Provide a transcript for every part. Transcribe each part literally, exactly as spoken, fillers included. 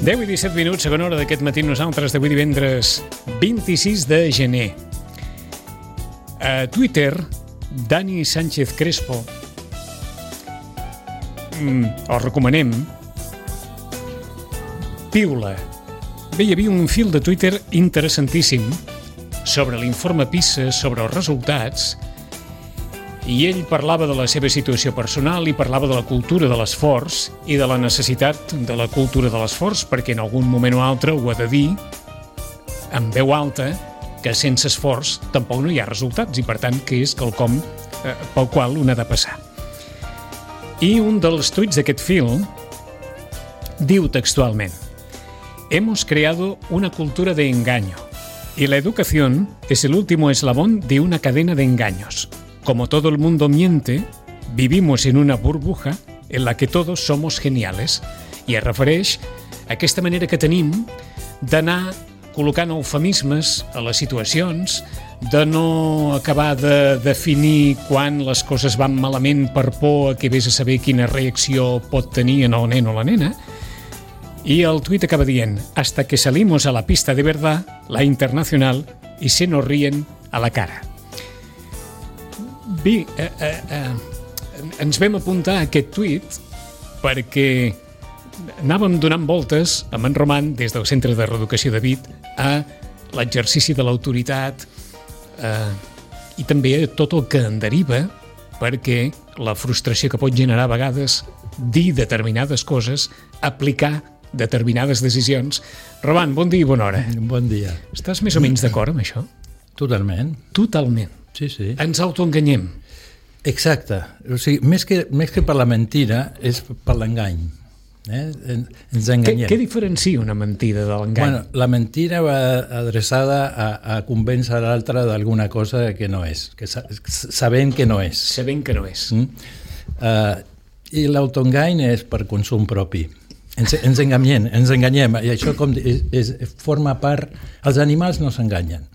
deu i disset minuts, segona hora d'aquest matí nosaltres d'avui divendres vint-i-sis de gener. A Twitter, Dani Sánchez Crespo, mm, el recomanem, piula. Bé, hi havia un fil de Twitter interessantíssim sobre l'informe PISA, sobre els resultats, i ell parlava de la seva situació personal i parlava de la cultura de l'esforç i de la necessitat de la cultura de l'esforç, perquè en algun moment o altre ho ha de dir en veu alta que sense esforç tampoc no hi ha resultats i per tant que és quelcom eh, pel qual un ha de passar. I un dels tuits d'aquest fil diu textualment: hemos creado una cultura de engaño y la educación es el último eslabón de una cadena de engaños. Como todo el mundo miente, vivimos en una burbuja en la que todos somos geniales. I es refereix a aquesta manera que tenim d'anar col·locant eufemismes a les situacions, de no acabar de definir quan les coses van malament per por a que vés a saber quina reacció pot tenir en el nen o la nena. I el tuit acaba dient: hasta que salimos a la pista de verdad, la internacional, y se nos ríen a la cara. Bé, eh, eh, eh, ens vam apuntar a aquest tuit perquè anàvem donant voltes amb en Roman des del Centre de Reeducació de Vic a l'exercici de l'autoritat eh, i també a tot el que en deriva, perquè la frustració que pot generar a vegades dir determinades coses, aplicar determinades decisions. Roman, bon dia i bona hora. Bon dia. Estàs més o menys d'acord amb això? Totalment. Totalment. Sí, sí. Ens autoenganyem. Exacte. O sigui, més que, més que per la mentida, és per l'engany. Eh? Ens enganyem. Què, què diferencia una mentida de l'engany? Bueno, la mentida va adreçada a, a convèncer l'altre d'alguna cosa que no és, que sa, sabent que no és. Sabent que no és. Mm? Uh, I l'autoengany és per consum propi. Ens, ens enganyem, ens enganyem. I això com és, és, forma part... Els animals no s'enganyen.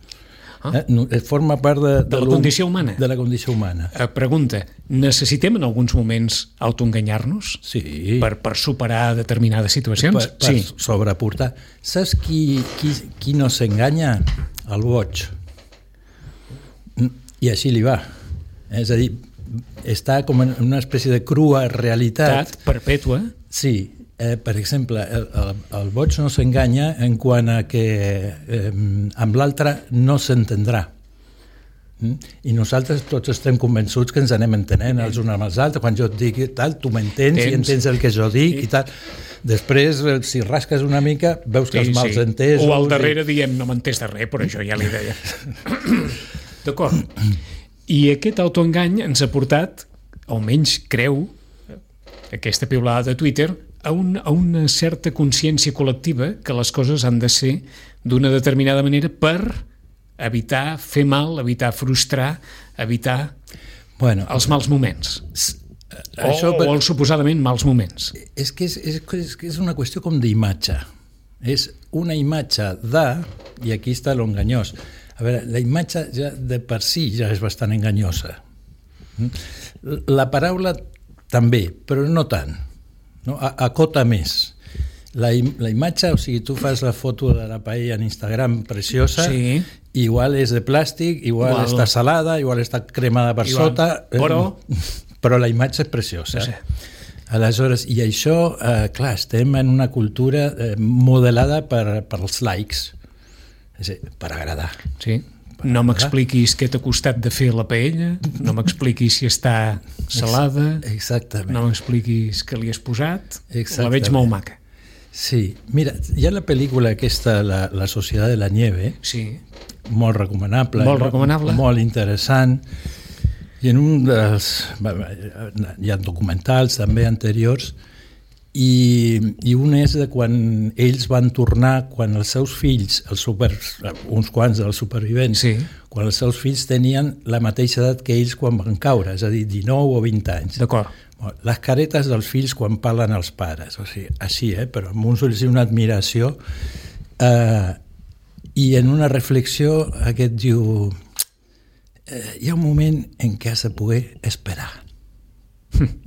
Ah. Eh? Forma part de, de, de la condició humana. De la condició humana. Eh, pregunta, necessitem en alguns moments autoenganyar-nos? Sí. Per, per superar determinades situacions? Per, per sí. sobreportar. Saps qui, qui, qui no s'enganya? El boig. I així li va. És a dir, està com en una espècie de crua realitat. Perpètua. Sí. Eh, per exemple, el, el, el boig no s'enganya en quant a que eh, amb l'altre no s'entendrà. Mm? I nosaltres tots estem convençuts que ens anem entenent els uns amb els altres. Quan jo et dic tal, tu m'entens i entens el que jo dic sí. i tal. Després, si rasques una mica, veus que sí, els mals sí. entesos... O al darrere i... diem, no m'entens de res, però jo ja li deia. D'acord. I aquest autoengany ens ha portat, almenys creu, aquesta piulada de Twitter, a, un, a una certa consciència col·lectiva que les coses han de ser d'una determinada manera per evitar fer mal, evitar frustrar, evitar bueno, els mals moments. O, això, o els suposadament mals moments. És que és, és, és, és una qüestió com d'imatge. És una imatge de... I aquí està l'enganyós. A veure, la imatge ja de per si ja és bastant enganyosa. La paraula també, però no tant. No? Acota més. La, la imatge, o sigui, tu fas la foto de la paella en Instagram preciosa, sí. igual és de plàstic, igual, igual està salada, igual està cremada per igual. sota, però... però la imatge és preciosa. Sí. Aleshores, i això, eh, clar, estem en una cultura eh, modelada per, per els likes, és a dir, per agradar. Sí. No m'expliquis què t'ha costat de fer la paella, no m'expliquis si està salada, exactament. No m'expliquis què li has posat, exactament. La veig molt maca. Sí, mira, hi ha la pel·lícula aquesta, La, la Societat de la Nieve, sí. molt recomanable, molt, recomanable. molt interessant, i en un dels... hi ha documentals també anteriors, I, i un és de quan ells van tornar, quan els seus fills, els super, uns quants dels supervivents, sí. quan els seus fills tenien la mateixa edat que ells quan van caure, és a dir, dinou o vint anys. D'acord. Les caretes dels fills quan parlen als pares, o sigui, així, eh? Però amb uns ulls i una admiració. Eh, I en una reflexió aquest diu eh, hi ha un moment en què has de poder esperar.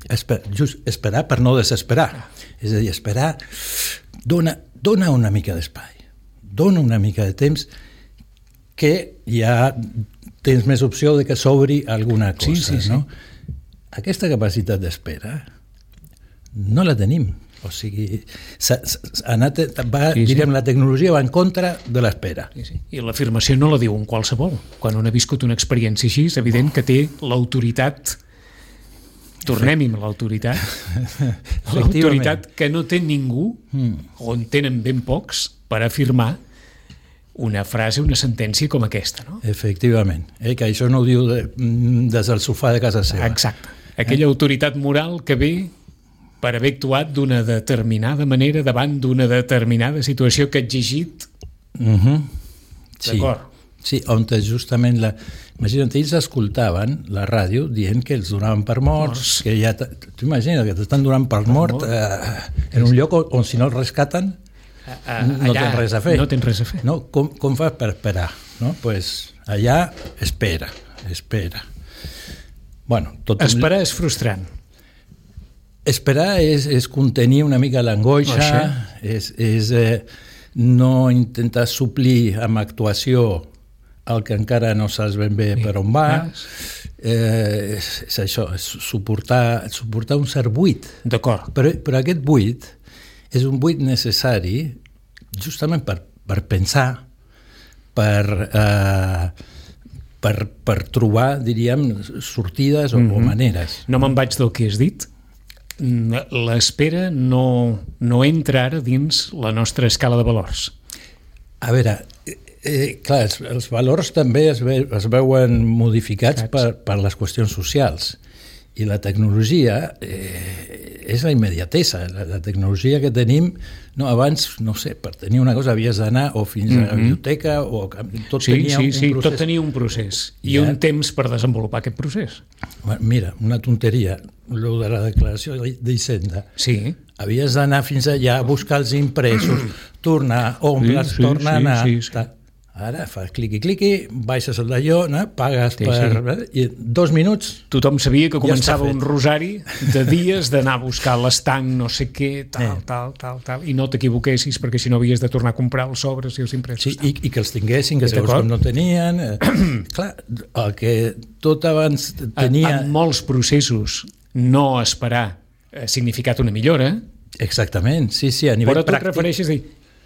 Esper, just esperar per no desesperar. És a dir, esperar dona, dona una mica d'espai, dona una mica de temps que ja tens més opció de que s'obri alguna cosa. Sí, sí, sí. No? Aquesta capacitat d'espera no la tenim. O sigui, s'ha, s'ha anat, va, sí, sí. diríem, la tecnologia va en contra de l'espera. Sí, sí. I l'afirmació no la diu un qualsevol. Quan un ha viscut una experiència així, és evident que té l'autoritat, tornem-hi amb l'autoritat, l'autoritat que no té ningú, o en tenen ben pocs, per afirmar una frase, una sentència com aquesta. No? Efectivament, eh? Que això no ho diu de, des del sofà de casa seva. Exacte. Aquella eh? autoritat moral que ve per haver actuat d'una determinada manera davant d'una determinada situació que ha exigit. Uh-huh. Sí. D'acord. Sí, on justament la... Imagina't, ells escoltaven la ràdio dient que els donaven per morts, morts. que ja... Tu imagina't que t'estan donant per, per mort, mort. Eh, en un lloc on, on si no el rescaten a, a, no tens res a fer. No tens res a fer. No? Com, com fas per esperar? No? Pues allà espera, espera. Bueno, tot esperar un... és frustrant. Esperar és, és contenir una mica l'angoixa, és, és eh, no intentar suplir amb actuació el que encara no saps ben bé per on va. Eh, és, és això, és suportar, suportar un cert buit. D'acord. Però, però aquest buit és un buit necessari justament per, per pensar, per, eh, per, per trobar, diríem, sortides o, mm-hmm. o maneres. No me'n vaig del que has dit. L'espera no, no entra ara dins la nostra escala de valors. A veure, eh, clar, els, els valors també es, ve, es veuen modificats per, per les qüestions socials i la tecnologia eh, és la immediatesa. La, la tecnologia que tenim, no, abans, no sé, per tenir una cosa havies d'anar o fins a la biblioteca o tot sí, tenia sí, un sí, procés. Tot tenia un procés i ja... un temps per desenvolupar aquest procés. Mira, una tonteria, lo de la declaració d'Hisenda. Sí. Havies d'anar fins allà a buscar els impresos, tornar, omples, sí, sí, tornar a anar... Sí, sí, sí. Ara fas cliqui-cliqui, baixes el d'allò, no? Pagues sí, per... Sí. I dos minuts... Tothom sabia que començava ja un rosari de dies d'anar a buscar l'estanc, no sé què, tal, eh. tal, tal, tal, i no t'equivoquessis perquè si no havies de tornar a comprar els sobres i els impresos. Sí, i, i que els tinguessin, que llavors com no tenien... Eh, clar, el que tot abans tenia... En, en molts processos no esperar ha significat una millora. Exactament, sí, sí, a nivell però tu pràctic... et refereixes a dir,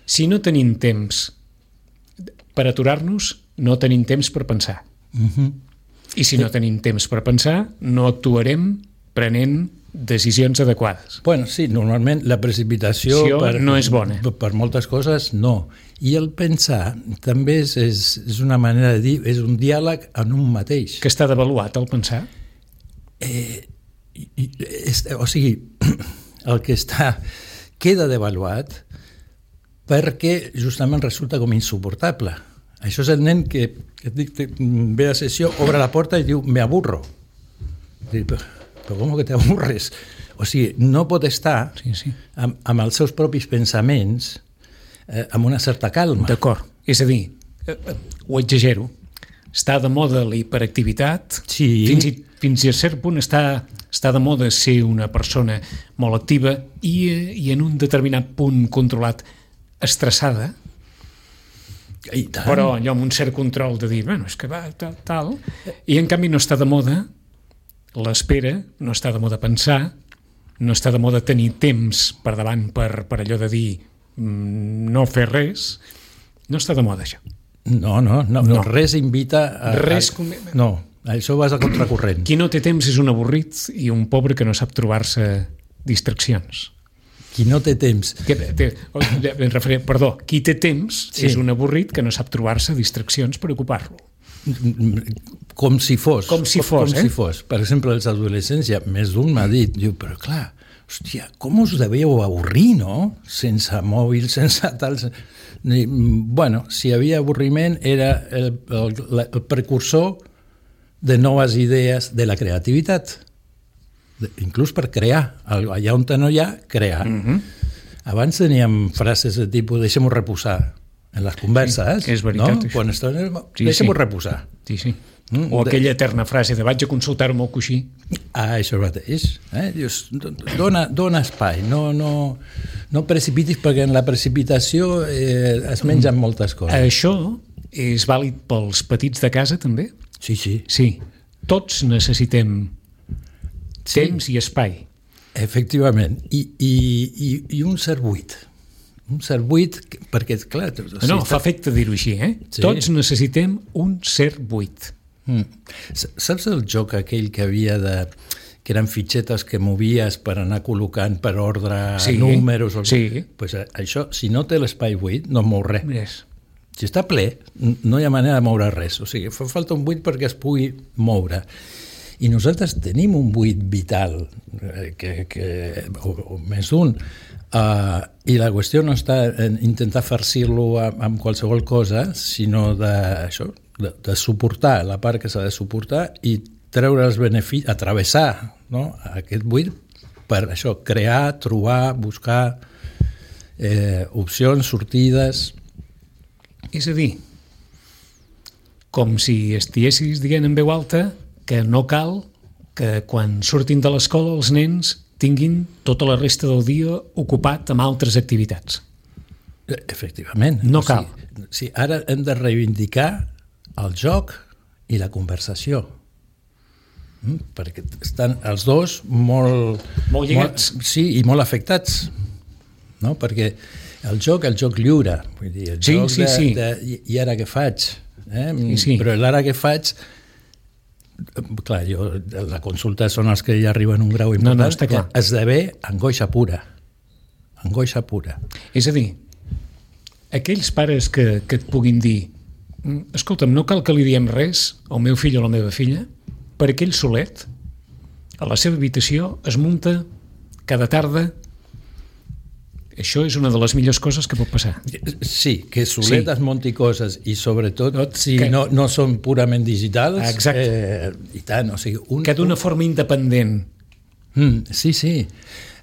si no tenim temps per aturar-nos, no tenim temps per pensar. Uh-huh. I si no tenim temps per pensar, no actuarem prenent decisions adequades. Bueno, sí, normalment la precipitació per, no és bona. Per, per moltes coses, no. I el pensar també és, és, és una manera de dir, és un diàleg en un mateix. Que està devaluat, el pensar? Eh, és, o sigui, el que està queda devaluat perquè justament resulta com insuportable. Això és el nen que, que dic, ve a sessió, obre la porta i diu, me aburro. Dic, però, però com que t'aburres? O sigui, no pot estar sí, sí. Amb, amb els seus propis pensaments eh, amb una certa calma. D'acord. És a dir, eh, ho exagero, està de moda la hiperactivitat, sí. fins, i, fins a cert punt està, està de moda ser una persona molt activa i, i en un determinat punt controlat estressada, però allò amb un cert control de dir, bueno, és que va, tal, tal, i en canvi no està de moda l'espera, no està de moda pensar, no està de moda tenir temps per davant per, per allò de dir no fer res, no està de moda això. No, no, no, no. res invita a... Res... A, no, això vas a contracorrent. Qui no té temps és un avorrit i un pobre que no sap trobar-se distraccions. Qui no té temps... Que, té, perdó, qui té temps sí. és un avorrit que no sap trobar-se distraccions per ocupar-lo. Com si fos. Com si fos, com eh? si fos. Per exemple, els adolescents, ja més d'un m'ha dit, diu, però clar, hòstia, com us devíeu avorrir, no? Sense mòbil, sense tal... Bueno, si hi havia avorriment era el, el, el precursor de noves idees de la creativitat. Inclús per crear, allà on no hi ha, crear. Uh-huh. Abans teníem frases de tipus deixem-ho reposar, en les converses, sí, és veritat, no? Això. Quan estàs... Sí, Deixa'm-ho sí. reposar. Sí, sí. Mm, o aquella eterna frase de vaig a consultar-ho amb el coixí. Ah, això mateix. Eh? Dius, dona, dona espai, no, no, no precipitis, perquè en la precipitació eh, es mengen moltes coses. Això és vàlid pels petits de casa, també? Sí, sí. Sí. Tots necessitem Sí. temps i espai. Efectivament. I, i, i, i un cert buit. Un cert buit, perquè, clar... O sigui, No, fa efecte dir-ho així, eh? Sí. Tots necessitem un cert buit. Mm. Saps el joc aquell que havia de... que eren fitxetes que movies per anar col·locant per ordre Sí, números? O... sí. Pues això, si no té l'espai buit, no mou res. Yes. Si està ple, no hi ha manera de moure res. O sigui, fa falta un buit perquè es pugui moure. I nosaltres tenim un buit vital, que, que, o, o més d'un, uh, i la qüestió no està en intentar farcir-lo amb, amb qualsevol cosa, sinó de, això, de, de suportar la part que s'ha de suportar i treure els beneficis, atravessar, no?, aquest buit per això, crear, trobar, buscar eh, opcions, sortides... És a dir, com si estiguessis dient en veu alta que no cal que quan surtin de l'escola els nens tinguin tota la resta del dia ocupat amb altres activitats. Efectivament. No o cal. sigui, sí, ara hem de reivindicar el joc i la conversació. Mm? Perquè estan els dos molt... Molt lligats. Molt, sí, i molt afectats. No? Perquè el joc, el joc lliure. Vull dir, el Sí, joc sí, de, sí. de, i, i ara què faig? Eh? Sí, sí. Però l'ara què faig... Clar, jo, la consulta són els que ja arriben a un grau important. No, no, està clar. Esdevé angoixa pura. Angoixa pura. És a dir, aquells pares que, que et puguin dir escolta'm, no cal que li diem res al meu fill o a la meva filla, per aquell solet, a la seva habitació es munta cada tarda. Això és una de les millors coses que pot passar. Sí, que solet Sí. es munti coses i sobretot si Que- no, no són purament digitals. Exacte. Eh, I tant, o sigui... Un, Que d'una forma independent. Mm, sí, sí.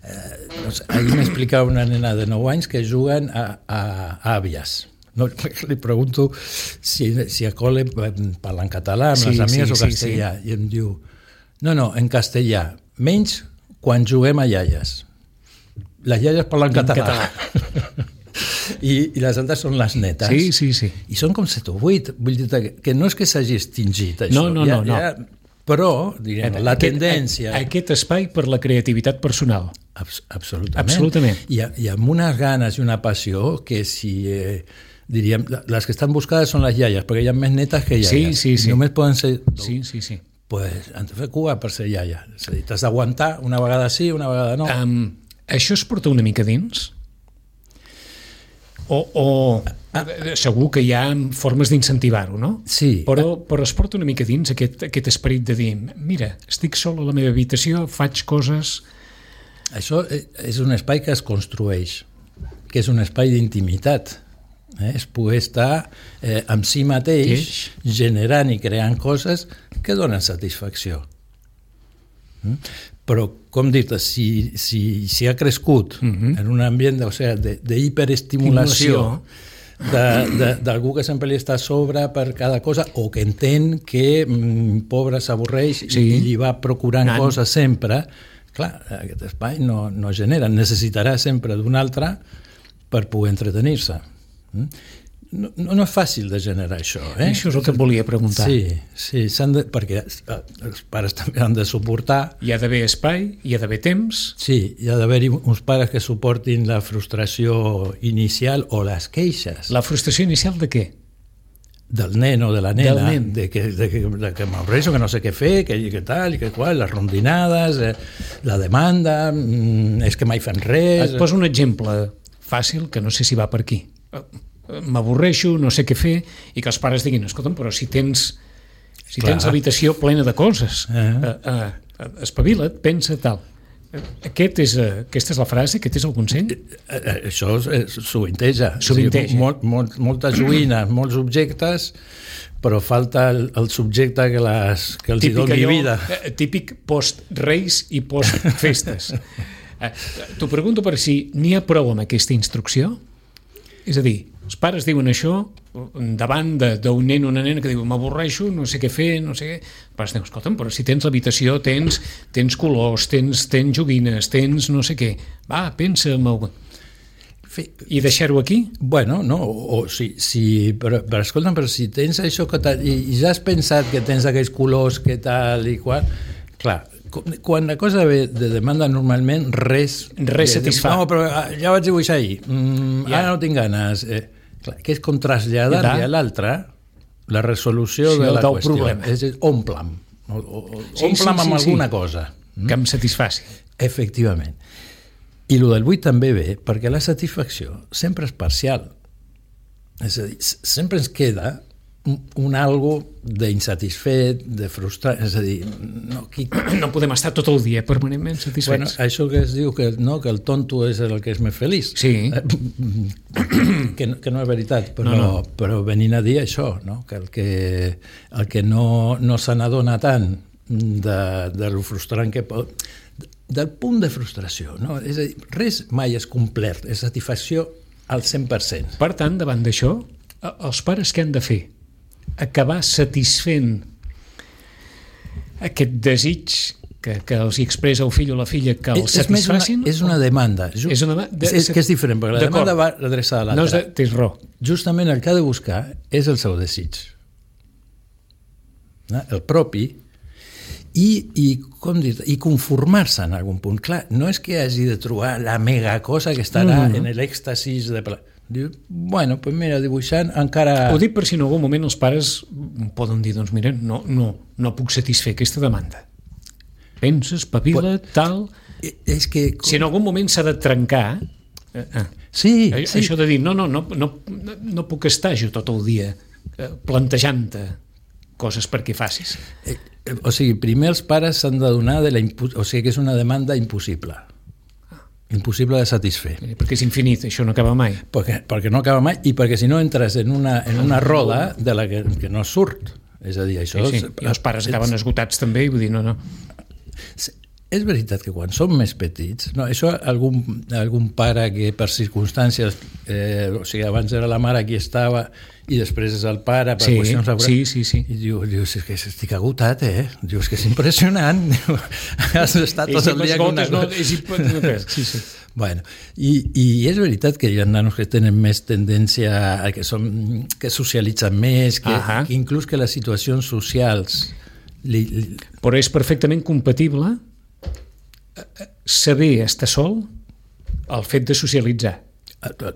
Eh, no sé, ahir m'explicava una nena de nou anys que juguen a, a, a àvies. No, li pregunto si, si a col·le parlen català amb Sí, les amigues sí, o sí, castellà. I em diu, no, no, en castellà, menys quan juguem a iaies. Les iaies parlen català. català. I, I les altres són les netes. Sí, sí, sí. I són com set o vuit. Vull dir que, que no és que s'hagi extingit això. No, no, ja, no, no. Ja, però, diguem, la Aquest- tendència... Aquest espai per la creativitat personal. Abs absolutament. Absolutament. I, I amb unes ganes i una passió que si... Eh, diríem, les que estan buscades són les iaies, perquè hi ha més netes que iaies. Sí, sí, sí. I només poden ser... Sí, sí, sí. Pues, han de fer cua per ser iaia. És a dir, t'has d'aguantar una vegada sí, una vegada no. Um, això es porta una mica dins? O, o ah, segur que hi ha formes d'incentivar-ho, no? Sí. Però, però es porta una mica dins aquest, aquest esperit de dir, mira, estic sol a la meva habitació, faig coses... Això és un espai que es construeix, que és un espai d'intimitat. Eh? És poder estar eh, amb si mateix, Eix. generant i creant coses que donen satisfacció. Mm? Però, com dir-te, si, si, si ha crescut Mhm. en un ambient de, o sigui, de, de hiperestimulació d'algú que sempre li està a sobre per cada cosa o que entén que mm, pobre s'avorreix Sí. i li va procurant Nan. coses sempre, clar, aquest espai no, no genera, necessitarà sempre d'un altre per poder entretenir-se. Mm? No, no, no és fàcil de generar això. Eh? Això és el que et volia preguntar. Sí, sí s'han de, perquè els pares també han de suportar. Hi ha d'haver espai, hi ha d'haver temps... Sí, hi ha d'haver-hi uns pares que suportin la frustració inicial o les queixes La frustració inicial de què? del nen o de la nena, Del nen. de que, de que, de que m'avorreixo, que no sé què fer, que, que tal, i que qual, les rondinades, eh, la demanda, mm, és que mai fan res... Et poso un exemple fàcil que no sé si va per aquí. M'avorreixo, no sé què fer, i que els pares diguin, escolta'm, però si tens si Clar. tens habitació plena de coses, Eh. eh, eh, espavila't, pensa, tal. Aquest és, eh, aquesta és la frase, aquest és el consell? Eh, eh, Això eh, sovinteja. Sovinteja. O sigui, molt, molt, moltes joïnes, molts objectes, però falta el, el subjecte que, les, que els hi doni allò, vida. eh, típic post-reis i post-festes. eh, T'ho pregunto per si n'hi ha prou amb aquesta instrucció? És a dir, els pares diuen això davant d'un nen o una nena que diu m'avorreixo, no sé què fer, no sé què. Els pares diuen, escolta'm, però si tens l'habitació, tens, tens colors, tens, tens joguines, tens no sé què. Va, pensa en el... I deixar-ho aquí? Bueno, no, o, o si, si, però, però escolta'm, però si tens això que tal, i, i ja has pensat que tens aquells colors que tal i qual, clar, quan la cosa ve de demanda normalment res... Res satisfà. No, però ja vaig dibuixar ahir, mm, ja. Ara no tinc ganes... Eh, Clar, que és com traslladar-li a l'altre la resolució sí, de la qüestió. Problema. És a dir, omple'm. O, o, sí, omple'm sí, amb sí, alguna sí. cosa. Que em satisfaci. Efectivament. I el del vuit també ve perquè la satisfacció sempre és parcial. És a dir, sempre ens queda un, un algo d'insatisfet, de frustrat, és a dir, no, qui... no podem estar tot el dia permanentment satisfets. Bueno, això que es diu que, no, que el tonto és el que és més feliç. Sí. que, no, que no és veritat, però, no, no. però venint a dir això, no? Que el que, el que no, no se n'adona tant de, de lo frustrant que pot... Del punt de frustració, no? És a dir, res mai és complet, és satisfacció al cent per cent. Per tant, davant d'això, els pares què han de fer? Acabar satisfent aquest desig que, que els hi expressa el fill o la filla que els és, satisfacin? És una, és una demanda. Just, és una de, és, que és diferent, perquè la demanda va adreçada a l'altre. No és de, tens raó. Justament el que ha de buscar és el seu desig. No? El propi i, i, com dir, i conformar-se en algun punt. Clar, no és que hagi de trobar la mega cosa que estarà mm. en l'èxtasis de... Diu, bueno, pues mira, dibuixant encara... Ho dic per si en algun moment els pares poden dir, doncs mira, no, no, no puc satisfer aquesta demanda. Penses, papila, But, tal... És que... Si en algun moment s'ha de trencar... Eh, eh, sí, això sí. de dir, no, no, no, no, no puc estar jo tot el dia eh, plantejant-te coses perquè facis. Eh, o sigui, primer els pares s'han de donar de la impu... o sigui que és una demanda impossible. Impossible de satisfer. Perquè és infinit, això no acaba mai. Perquè, perquè no acaba mai i perquè si no entres en una, en una roda de la que, que no surt. És a dir, això... Sí, sí. I els pares acaben esgotats també, i vull dir, no, no. És veritat que quan som més petits, no, això algun, algun pare que per circumstàncies, eh, o sigui, abans era la mare qui estava i després és el pare per sí, qüestions laborals, sí, sí, sí. i diu, dius, és que estic agotat, eh? Dius que és impressionant. Has estat tot el dia con una cosa. No, sí, sí. Bueno, i, i és veritat que hi ha nanos que tenen més tendència a que, som, que socialitzen més, que, uh-huh. que inclús que les situacions socials... Li, li... Però és perfectament compatible saber estar sol el fet de socialitzar.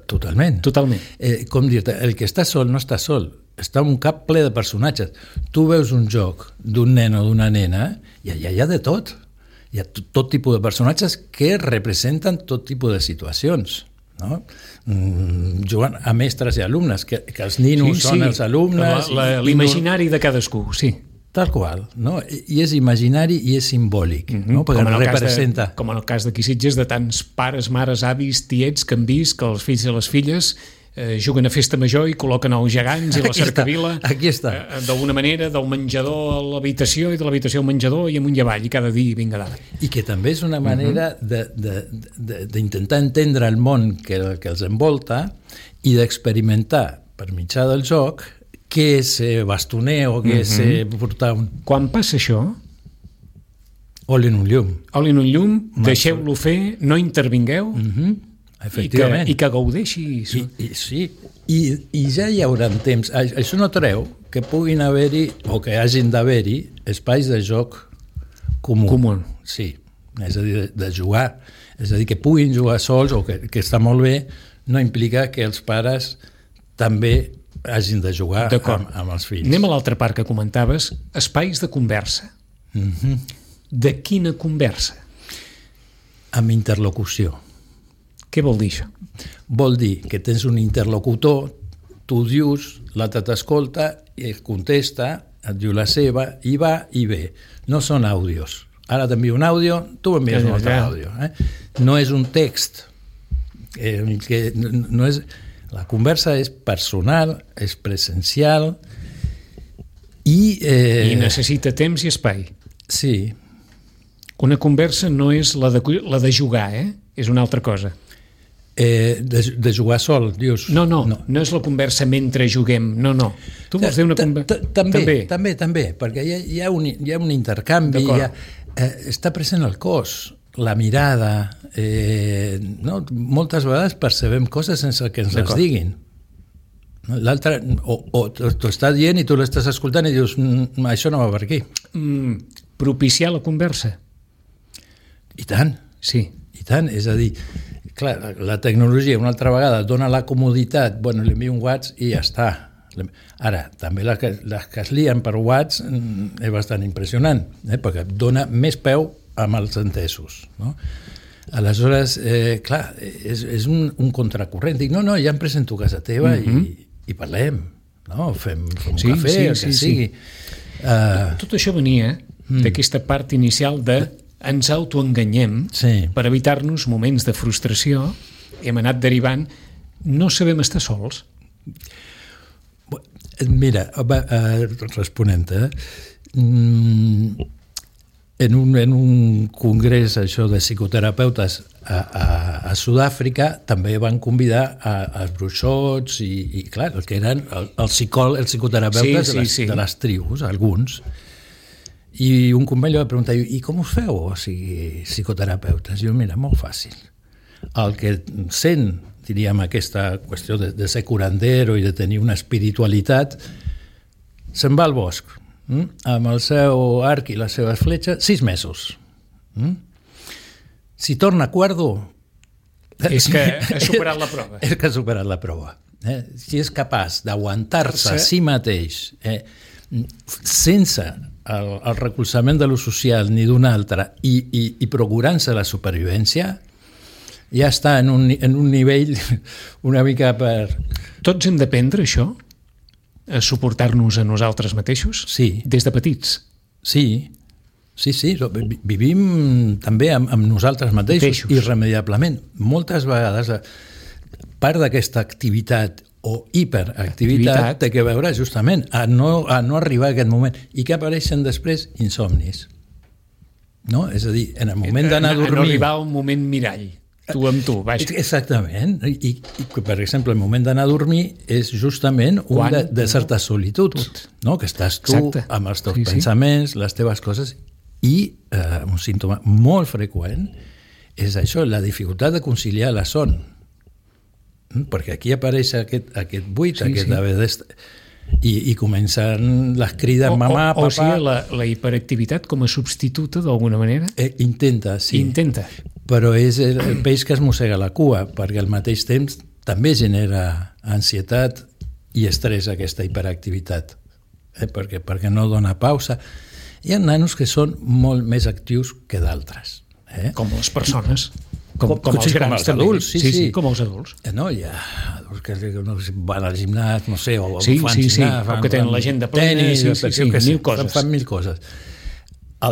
Totalment. Totalment. Eh, com dir-te, el que està sol no està sol, està un cap ple de personatges. Tu veus un joc d'un nen o d'una nena i allà hi ha de tot. Hi ha tot, tot tipus de personatges que representen tot tipus de situacions. No? Mm, jugant a mestres i alumnes, que, que els ninos sí, són sí. els alumnes... La, la, l'imaginari de cadascú, sí. Tal qual, no? I és imaginari i és simbòlic, mm-hmm. no? Perquè com representa... De, com en el cas d'aquí Sitges, de tants pares, mares, avis, tiets que han vist que els fills i les filles eh, juguen a festa major i col·loquen els gegants i la cercavila. Aquí està. Eh, d'alguna manera, del menjador a l'habitació i de l'habitació al menjador i amunt i avall, i cada dia vinga dalt. I que també és una manera mm-hmm. d'intentar entendre el món que, que els envolta i d'experimentar per mitjà del joc què és bastoner o què és mm-hmm. portar un... Quan passa això... Oli en un llum. Oli en un llum, deixeu-lo fer, no intervingueu, mm-hmm. efectivament. I que, i que gaudeixi. I, i, sí, I, i ja hi haurà temps. Això no treu que puguin haver-hi, o que hagin d'haver-hi, espais de joc comú. Comú. Sí, és a dir, de, de jugar. És a dir, que puguin jugar sols, o que, que està molt bé, no implica que els pares també hagin de jugar amb, amb els fills. Anem a l'altra part que comentaves, espais de conversa. Mm-hmm. De quina conversa? Amb interlocució. Què vol dir això? Vol dir que tens un interlocutor, tu dius, l'altre t'escolta i et contesta, et diu la seva, i va i ve. No són àudios. Ara t'envio un àudio, tu m'envies un altre àudio. Eh? No és un text. Eh, que no és... La conversa és personal, és presencial i... Eh... I necessita temps i espai. Eh, de, de jugar sol, dius? No, no, no, no és la conversa mentre juguem, no, no. Tu vols dir una conversa... També, també, també, perquè hi ha, hi ha, un, hi ha un intercanvi, hi ha, eh, està present el cos, la mirada, eh, no? Moltes vegades percebem coses sense que ens les diguin. L'altre, o, o t'ho està dient i tu l'estàs escoltant i dius, mm, això no va per aquí. Mm, propiciar la conversa. I tant. Sí. I tant, és a dir, clar, la tecnologia una altra vegada dona la comoditat, bueno, li envio un WhatsApp i ja està. Ara, també les que, les que es lien per WhatsApp és bastant impressionant, eh? Perquè dona més peu amb els entesos, no? Aleshores, eh, clar, és, és un, un contracorrent. Dic, no, no, ja em presento a casa teva mm-hmm. i, i parlem, no? Fem, fem un sí, cafè, sí, el que sí, sigui. Sí. Uh, Tot això venia mm. d'aquesta part inicial de ens autoenganyem sí. per evitar-nos moments de frustració i hem anat derivant, no sabem estar sols. Mira, responent-te, en un, en un congrés això de psicoterapeutes a, a, a Sud-àfrica també van convidar a, als bruixots i, i clar, el que eren el, el psicòleg, els psicoterapeutes sí, sí, de, les, sí. de les tribus, alguns. I un company va preguntar, i com us feu, o sigui, psicoterapeutes? I jo, mira, molt fàcil. El que sent, diríem, aquesta qüestió de, de ser curandero i de tenir una espiritualitat, se'n va al bosc, hm? amb el seu arc i les seves fletxes, sis mesos. Hm? Si torna cuerdo... És que ha superat la prova. És que ha superat la prova. Eh? Si és capaç d'aguantar-se a si mateix, eh? sense... El, el recolzament de lo social ni d'un altre i, i, i procurant-se la supervivència, ja està en un, en un nivell una mica per... Tots hem d'aprendre això? A suportar-nos a nosaltres mateixos? Sí. Des de petits? Sí, sí, sí. Vivim també amb, amb nosaltres mateixos, mateixos irremediablement. Moltes vegades part d'aquesta activitat o hiperactivitat té que veure justament a no, a no arribar a aquest moment i que apareixen després insomnis, no? És a dir, en el moment d'anar a dormir... A no arribar a un moment mirall, tu amb tu, vaja. Exactament, I, i per exemple el moment d'anar a dormir és justament un Quan? de, de certa solitud, no? Que estàs tu Exacte. amb els teus sí, pensaments, sí. les teves coses, i eh, un símptoma molt freqüent és això, la dificultat de conciliar la son. Perquè aquí apareix aquest, aquest buit, sí, aquest sí. haver d'estar... I, i comencen les crides o, mamà, o, papà... O sigui, la, la hiperactivitat com a substituta, d'alguna manera? Eh, intenta, sí. Intenta. Però és el, el peix que es mossega la cua, perquè al mateix temps també genera ansietat i estrès aquesta hiperactivitat, eh, perquè, perquè no dona pausa. Hi ha nanos que són molt més actius que d'altres. Eh? Com les persones. Com, com, com els grans, com els adults, sí, sí, sí, com els adults. No, hi ha adults que no, van al gimnàs, no sé, o sí, fan sí, gimnàs, sí, fan, o que tenen l'agenda plena, tenis, sí, sí, sí, sí, mil coses. Fan, fan mil coses.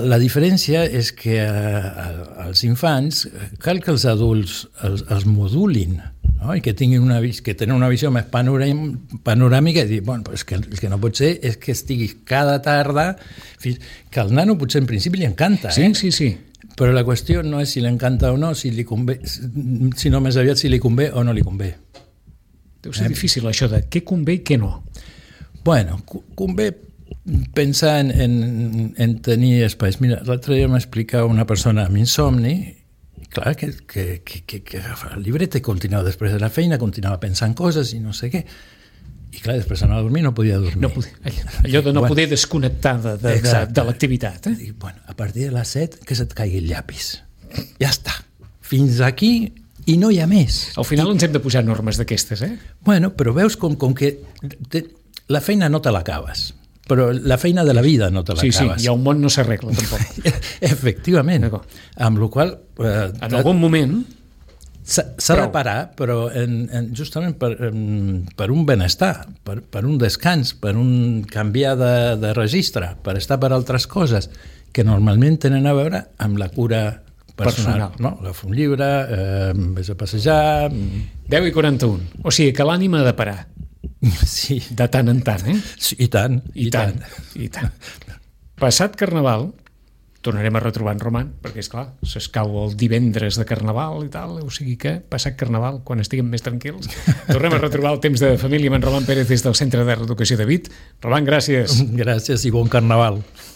La diferència és que als infants cal que els adults els, els modulin, no? I que tinguin una, que tenen una visió més panoràmica i dir, bueno, és que el que no pot ser és que estiguis cada tarda, que al nano potser en principi li encanta, sí, eh? Sí, sí, sí. Però la qüestió no és si l'encanta o no, si li convé, sinó més aviat si li convé o no li convé. Deu ser eh? difícil això de què convé i què no. Bueno, convé pensar en, en, en tenir espais. Mira, l'altre dia m'explicava una persona amb insomni, clar, que, que, que, que, que agafava el llibret i continuava després de la feina, continuava pensant coses i no sé què. I clar, després anava a dormir, no podia dormir. No podia, allò de no bueno, poder desconnectar de, de, de, de l'activitat. Eh? I, bueno, a partir de les set, que se't caigui el llapis. Ja està. Fins aquí i no hi ha més. Al final I, ens hem de posar normes d'aquestes, eh? Bueno, però veus com, com que te, la feina no te l'acabes, però la feina de la vida no te l'acabes. Sí, sí, i el món no s'arregla, tampoc. Efectivament. Amb la qual cosa... Eh, en algun moment... S'ha de parar, però en, en, justament per, en, per un benestar, per, per un descans, per un canviar de, de registre, per estar per altres coses que normalment tenen a veure amb la cura personal. personal. No? Agafo un llibre, eh, vés a passejar... deu i quaranta-un. O sigui que l'ànima ha de parar. Sí. De tant en tant, eh? Sí, i tant. I, I tant, tant. I tant. Passat Carnaval, tornarem a retrobar en Roman, perquè, és clar, s'escau el divendres de Carnaval i tal, o sigui que, passat Carnaval, quan estiguem més tranquils, tornem a retrobar el temps de família amb en Roman Pérez des del Centre de Reeducació de Vic. Roman, gràcies. Gràcies i bon Carnaval.